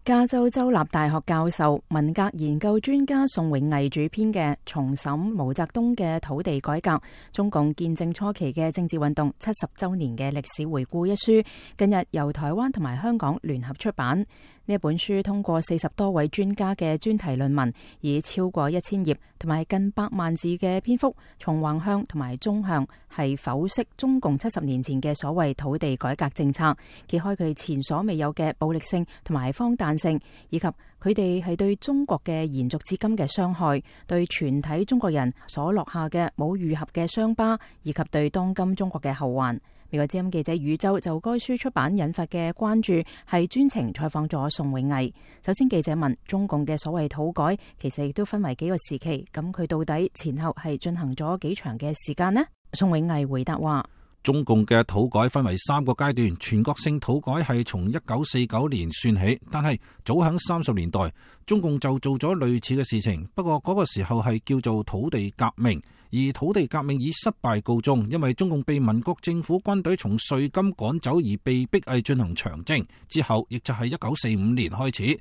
加州州立大學教授、文革研究專家宋永毅主編嘅《重審毛澤東嘅土地改革：中共建政初期嘅政治運動70週年嘅歷史回顧》一書，近日由台灣同埋香港聯合出版。呢一本書通過40多位專家嘅專題論文，以超過1000頁同埋近100萬字嘅篇幅，從橫向同埋縱向係剖析中共70年前嘅所謂土地改革政策，揭開佢前所未有嘅暴力性同埋荒誕性，以及佢哋係對中國嘅延續至今嘅傷害，對全體中國人所落下嘅冇愈合嘅傷疤，以及對當今中國嘅後患。美國之音記者宇宙就該書出版引發嘅關注，係專程採訪咗宋永毅。首先記者問，中共嘅所謂土改其實亦都分為幾個時期，咁佢到底前後係進行咗幾長嘅時間呢？宋永毅回答話，中共嘅土改分為3個階段，全國性土改係從1949年算起，但係早喺30年代，中共就做咗類似嘅事情，不過嗰個時候係叫做土地革命，而土地革命以失敗告終，因為中共被民國政府軍隊從瑞金趕走而被逼係進行長征，之後亦就係1945年開始，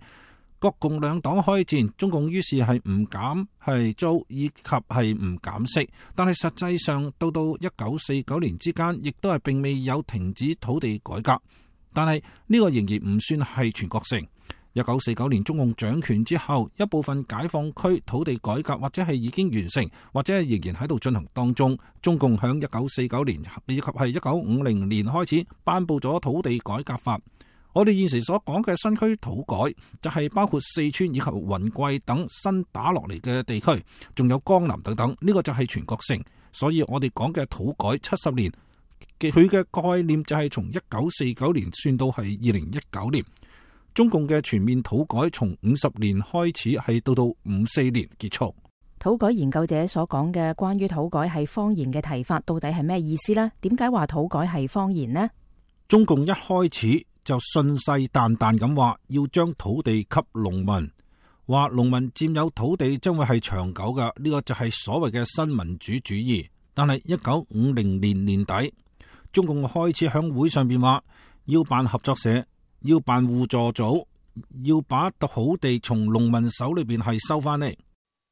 國共兩黨開戰，中共於是係唔減係租以及係唔減息，但係實際上到1949年之間，亦都係並未有停止土地改革，但係呢個仍然唔算係全國性。1949年中共掌權之後，一部分解放區土地改革或者係已經完成，或者係仍然喺度進行當中。中共響1949年以及係1950年開始頒布咗土地改革法。我哋現時所講嘅新區土改，就係包括四川以及雲貴等新打落嚟嘅地區，仲有江南等等，呢個就係全國性。所以我哋講嘅土改70年，佢嘅概念就係從1949年算到係2019年。中共嘅全面土改從50年開始，係到54年結束。土改研究者所講嘅關於土改係謊言嘅提法，到底係咩意思呢？點解話土改係謊言呢？中共一開始就信誓旦旦咁話要將土地給農民，話農民佔有土地將會係長久嘅，呢個就係所謂嘅新民主主義。但係1950年年底，中共開始響會上邊話要辦合作社，要辦互助組，要把土地從農民手裏邊係收翻嚟。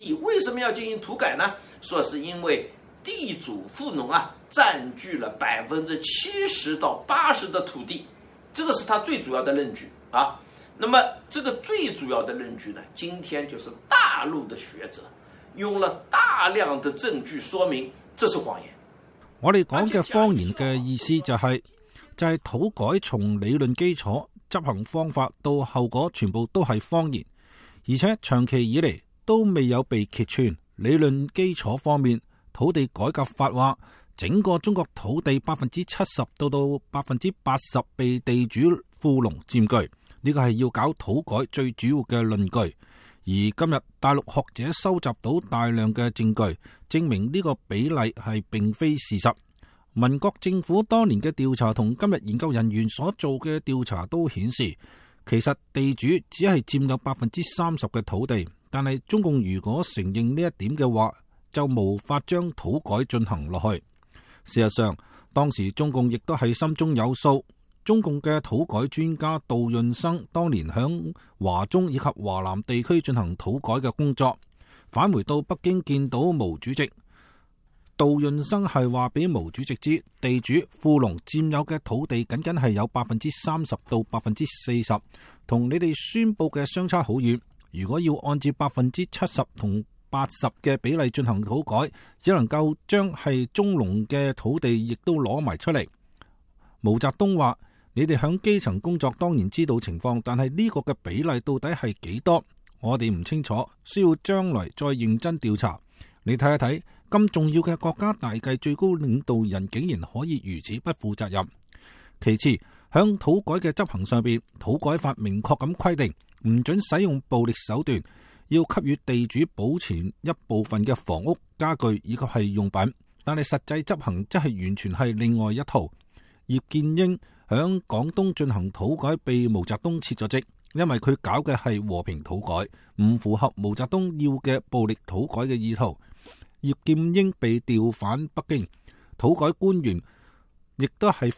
為什麼要進行土改呢？說是因為地主富農佔據了70%到80%的土地，這個是他最主要的論據啊。那麼這個最主要的論據呢，今天就是大陸的學者用了大量的證據說明這是謊言。我哋講嘅謊言嘅意思就係土改從理論基礎、執行方法到後果全部都係謊言，而且長期以嚟都未有被揭穿。理論基礎方面，土地改革法話整個中國土地70%到80%被地主富農佔據，呢個係要搞土改最主要嘅論據。而今日大陸學者收集到大量嘅證據，證明呢個比例係並非事實。民國政府當年嘅調查同今日研究人員所做嘅調查都顯示，其實地主只係佔有30%嘅土地，但係中共如果承認呢一點嘅話，就無法將土改進行落去。事實上，當時中共亦都係心中有數。中共嘅土改專家杜潤生當年響華中以及華南地區進行土改嘅工作，返回到北京見到毛主席。杜潤生係話俾毛主席知，地主富農佔有嘅土地僅僅係有30%到40%，同你哋宣佈嘅相差好遠。如果要按照70%同80%嘅比例進行土改，只能夠將係中農嘅土地亦都攞埋出嚟。毛澤東話：你哋響基層工作當然知道情況，但係呢個嘅比例到底係幾多，我哋唔清楚，需要將來再認真調查。你睇一睇，咁重要嘅國家大計，最高領導人竟然可以如此不負責任。其次，響土改嘅執行上邊，土改法明確咁規定，唔准使用暴力手段，要給予地主保存一部分嘅房屋、家具以及係用品。但係實際執行則係完全係另外一套。葉劍英響廣東進行土改，被毛澤東撤咗職，因為佢搞嘅係和平土改，唔符合毛澤東要嘅暴力土改嘅意圖。葉劍英被調返北京，土改官員亦都係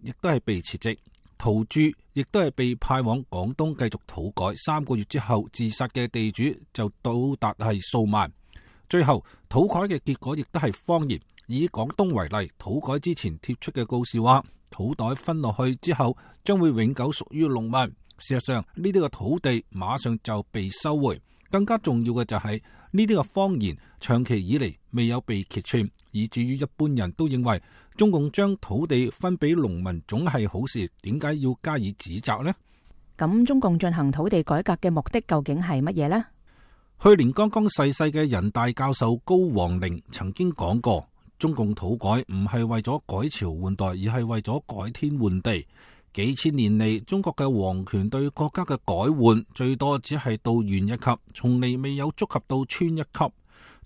亦都係被撤職。陶鑄亦都係被派往廣東繼續土改，3個月之後自殺嘅地主就到達係數萬。最後土改嘅結果亦都係謊言。以廣東為例，土改之前貼出嘅告示話，土袋分落去之後將會永久屬於農民。事實上呢啲嘅土地馬上就被收回。更加重要嘅就係呢啲嘅謊言長期以嚟未有被揭穿，以至於一般人都認為中共將土地分俾農民總係好事，點解要加以指責呢？咁中共進行土地改革嘅目的究竟係乜嘢呢？去年剛剛逝世嘅人大教授高王寧曾經講過，中共土改唔係為咗改朝換代，而係為咗改天換地。幾千年嚟，中國嘅皇權對國家嘅改換最多只係到縣一級，從嚟未有觸及到村一級。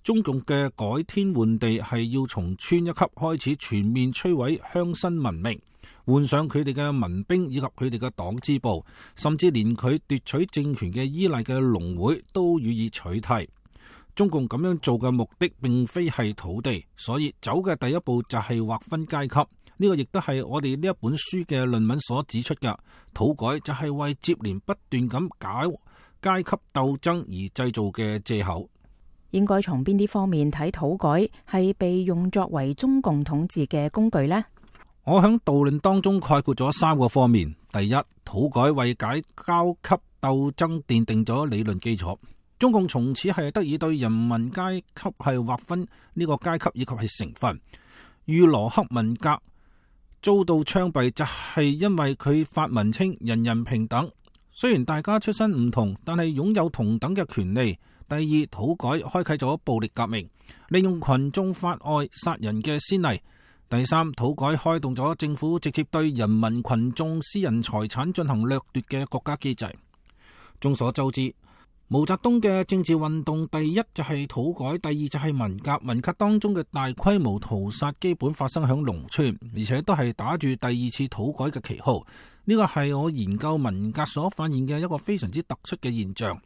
中共嘅改天換地係要從村一級開始全面摧毀鄉紳文明，換上佢哋嘅民兵以及佢哋嘅黨支部，甚至連佢奪取政權嘅依賴嘅農會都予以取締。中共咁樣做嘅目的並非係土地，所以走嘅第一步就係劃分階級。呢個亦都係我哋呢一本書嘅論文所指出嘅，土改就係為接連不斷咁搞階級鬥爭而製造嘅借口。應該從邊啲方面睇土改係被用作為中共統治嘅工具呢？我喺導論當中概括咗3個方面。第一，土改為解階級鬥爭奠定咗理論基礎，中共從此係得以對人民階級係劃分呢個階級以及係成分。如羅克文革遭到槍斃，就係因為佢發文稱人人平等，雖然大家出身唔同，但係擁有同等嘅權利。第二，土改開啟咗暴力革命，利用群眾法外殺人嘅先例。第三，土改開動咗政府直接對人民群眾私人財產進行掠奪嘅國家機制。眾所周知，毛澤東嘅政治運動第一就係土改，第二就係文革。文革當中嘅大規模屠殺基本發生喺農村，而且都係打住第二次土改嘅旗號。呢個係我研究文革所發現嘅一個非常之突出嘅現象。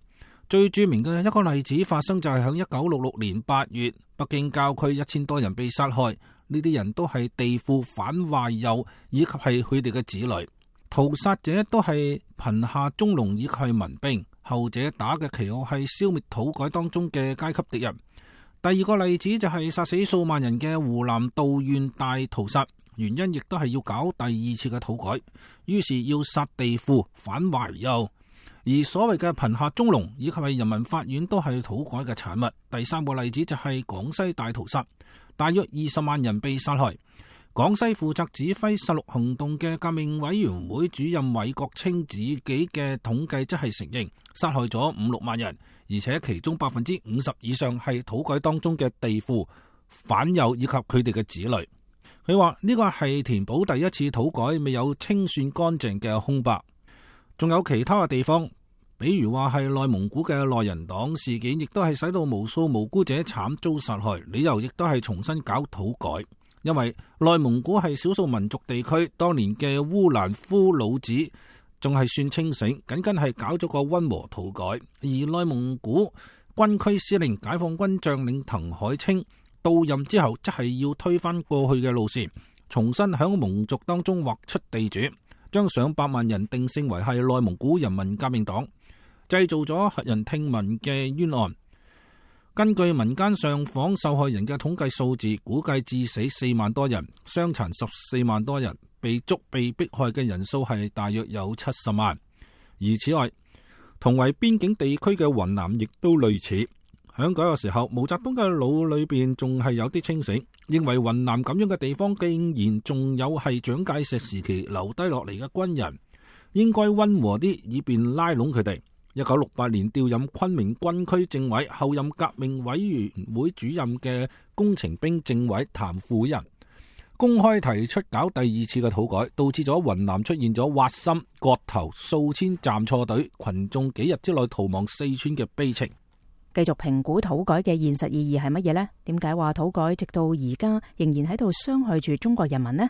最著名嘅一個例子發生就係喺1966年8月，北京郊區1000多人被殺害。呢啲人都係地富反壞右，以及係佢哋嘅子女。屠殺者都係貧下中農以及係民兵。後者打嘅旗號係消滅土改當中嘅階級敵人。第二個例子就係殺死數萬人嘅湖南道縣大屠殺，原因亦都係要搞第二次嘅土改，於是要殺地富反懷右。而所謂嘅貧下中農以及係人民法院都係土改嘅產物。第三個例子就係廣西大屠殺，大約20萬人被殺害。廣西負責指揮殺戮行動嘅革命委員會主任韋國清自己嘅統計則係承認殺害咗5-6萬人，而且其中50%以上係土改當中嘅地富、反右以及佢哋嘅子女。佢話呢個係填補第一次土改未有清算乾淨嘅空白。仲有其他嘅地方，比如話係內蒙古嘅內人黨事件，亦都係使到無數無辜者慘遭殺害，理由亦都係重新搞土改。因為內蒙古係少數民族地區，當年嘅烏蘭夫老子仲係算清醒，僅僅係搞咗個溫和土改。而內蒙古軍區司令解放軍將領滕海清到任之後，則係要推翻過去嘅路線，重新響蒙族當中劃出地主，將上百萬人定性為係內蒙古人民革命黨，製造咗駭人聽聞嘅冤案。根據民間上訪受害人嘅統計數字，估計致死4萬多人，傷殘14萬多人，被捉被迫害嘅人數係大約有70萬。而此外，同為邊境地區嘅雲南亦都類似。喺嗰個時候，毛澤東嘅腦裏邊仲係有啲清醒，認為雲南咁樣嘅地方竟然仲有係蔣介石時期留低落嚟嘅軍人，應該溫和啲，以便拉攏佢哋。1968年調任昆明軍區政委，後任革命委員會主任嘅工程兵政委譚富仁公開提出搞第二次嘅土改，導致咗雲南出現咗挖心、割頭、數千站錯隊、群眾幾日之內逃亡四川嘅悲情。繼續評估土改嘅現實意義係乜嘢呢？點解話土改直到而家仍然喺度傷害住中國人民呢？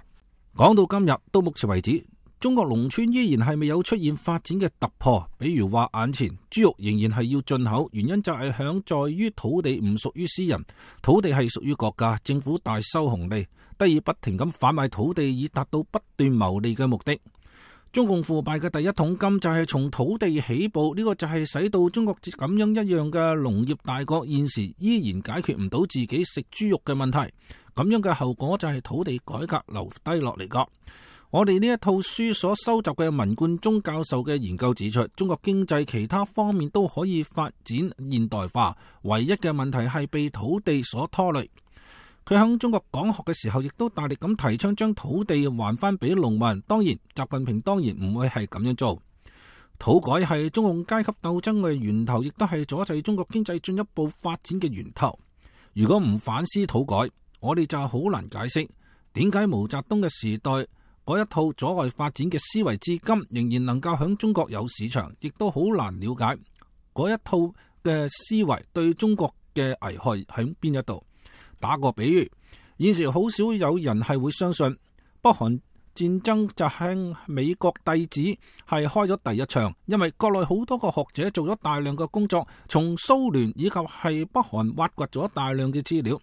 講到今日，到目前為止，中國農村依然係未有出現發展嘅突破。比如話眼前豬肉仍然係要進口，原因就係在於土地唔屬於私人，土地係屬於國家，政府大收紅利，得以不停咁販賣土地，以達到不斷牟利嘅目的。中共腐敗嘅第一桶金就係從土地起步，呢個就係使到中國咁樣一樣嘅農業大國現時依然解決唔到自己食豬肉嘅問題。咁樣嘅後果就係土地改革留低落嚟噶。我哋呢一套書所收集嘅文冠中教授嘅研究指出，中國經濟其他方面都可以發展現代化，唯一嘅問題係被土地所拖累。佢喺中國講學嘅時候，亦都大力咁提倡將土地還翻俾農民。當然，習近平當然唔會係咁樣做。土改係中共階級鬥爭嘅源頭，亦都係阻滯中國經濟進一步發展嘅源頭。如果唔反思土改，我哋就好難解釋點解毛澤東嘅時代嗰一套阻礙發展嘅思維，至今仍然能夠響中國有市場，亦都好難了解嗰一套嘅思維對中國嘅危害喺邊一度。打個比喻，現時好少有人係會相信北韓戰爭就向美國弟子係開咗第一槍，因為國內好多個學者做咗大量嘅工作，從蘇聯以及係北韓挖掘咗大量嘅資料，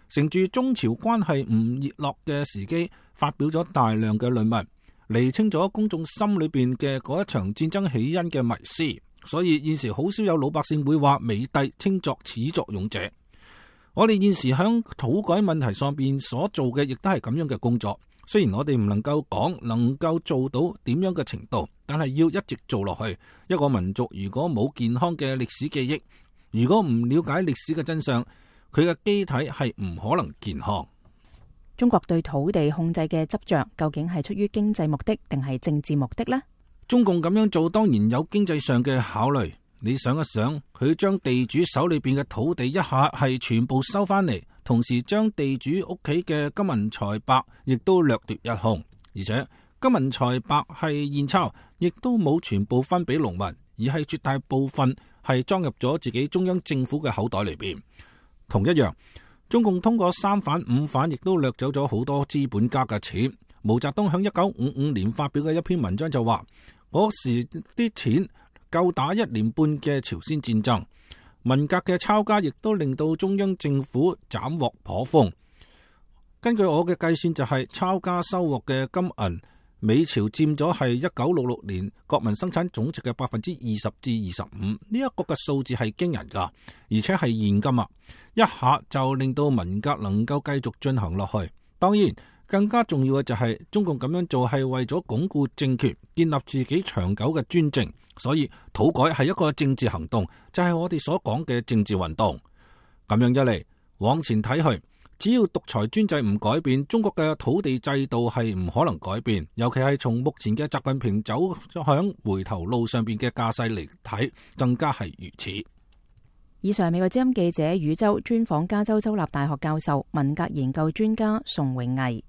乘住中朝關係唔熱絡嘅時機，發表咗大量嘅論文，釐清咗公眾心裏邊嘅嗰一場戰爭起因嘅迷思。所以現時好少有老百姓會話美帝稱作始作俑者。我哋現時響土改問題上邊所做嘅，亦都係咁樣嘅工作。雖然我哋唔能夠講能夠做到點樣嘅程度，但係要一直做落去。一個民族如果冇健康嘅歷史記憶，如果唔了解歷史嘅真相，佢嘅機體係唔可能健康。中國對土地控制嘅執着，究竟係出於經濟目的定係政治目的呢？中共咁樣做當然有經濟上嘅考慮。你想一想，佢將地主手裏邊嘅土地一下係全部收翻嚟，同時將地主屋企嘅金銀財帛亦都掠奪一空，而且金銀財帛係現鈔，亦都冇全部分俾農民，而係絕大部分係裝入咗自己中央政府嘅口袋裏邊。同一樣，中共通過三反五反，亦都掠走咗好多資本家嘅錢。毛澤東喺1955年發表嘅一篇文章就話，嗰時啲錢夠打1年半嘅朝鮮戰爭。文革嘅抄家亦都令到中央政府斬獲頗豐。根據我嘅計算，就係抄家收穫嘅金銀，美朝佔咗係1966年國民生產總值嘅20%至25%。呢一個嘅數字係驚人噶，而且係現金啊！一下就令到文革能夠繼續進行落去。當然，更加重要嘅就係中共咁樣做係為咗鞏固政權，建立自己長久嘅專政。所以土改係一個政治行動，就係我哋所講嘅政治運動。咁樣一嚟，往前睇去，只要獨裁專制唔改變，中國嘅土地制度係唔可能改變。尤其係從目前嘅習近平走響回頭路上邊嘅架勢嚟睇，更加係如此。以上美國之音記者宇宙專訪加州州立大學教授、文革研究專家宋永毅。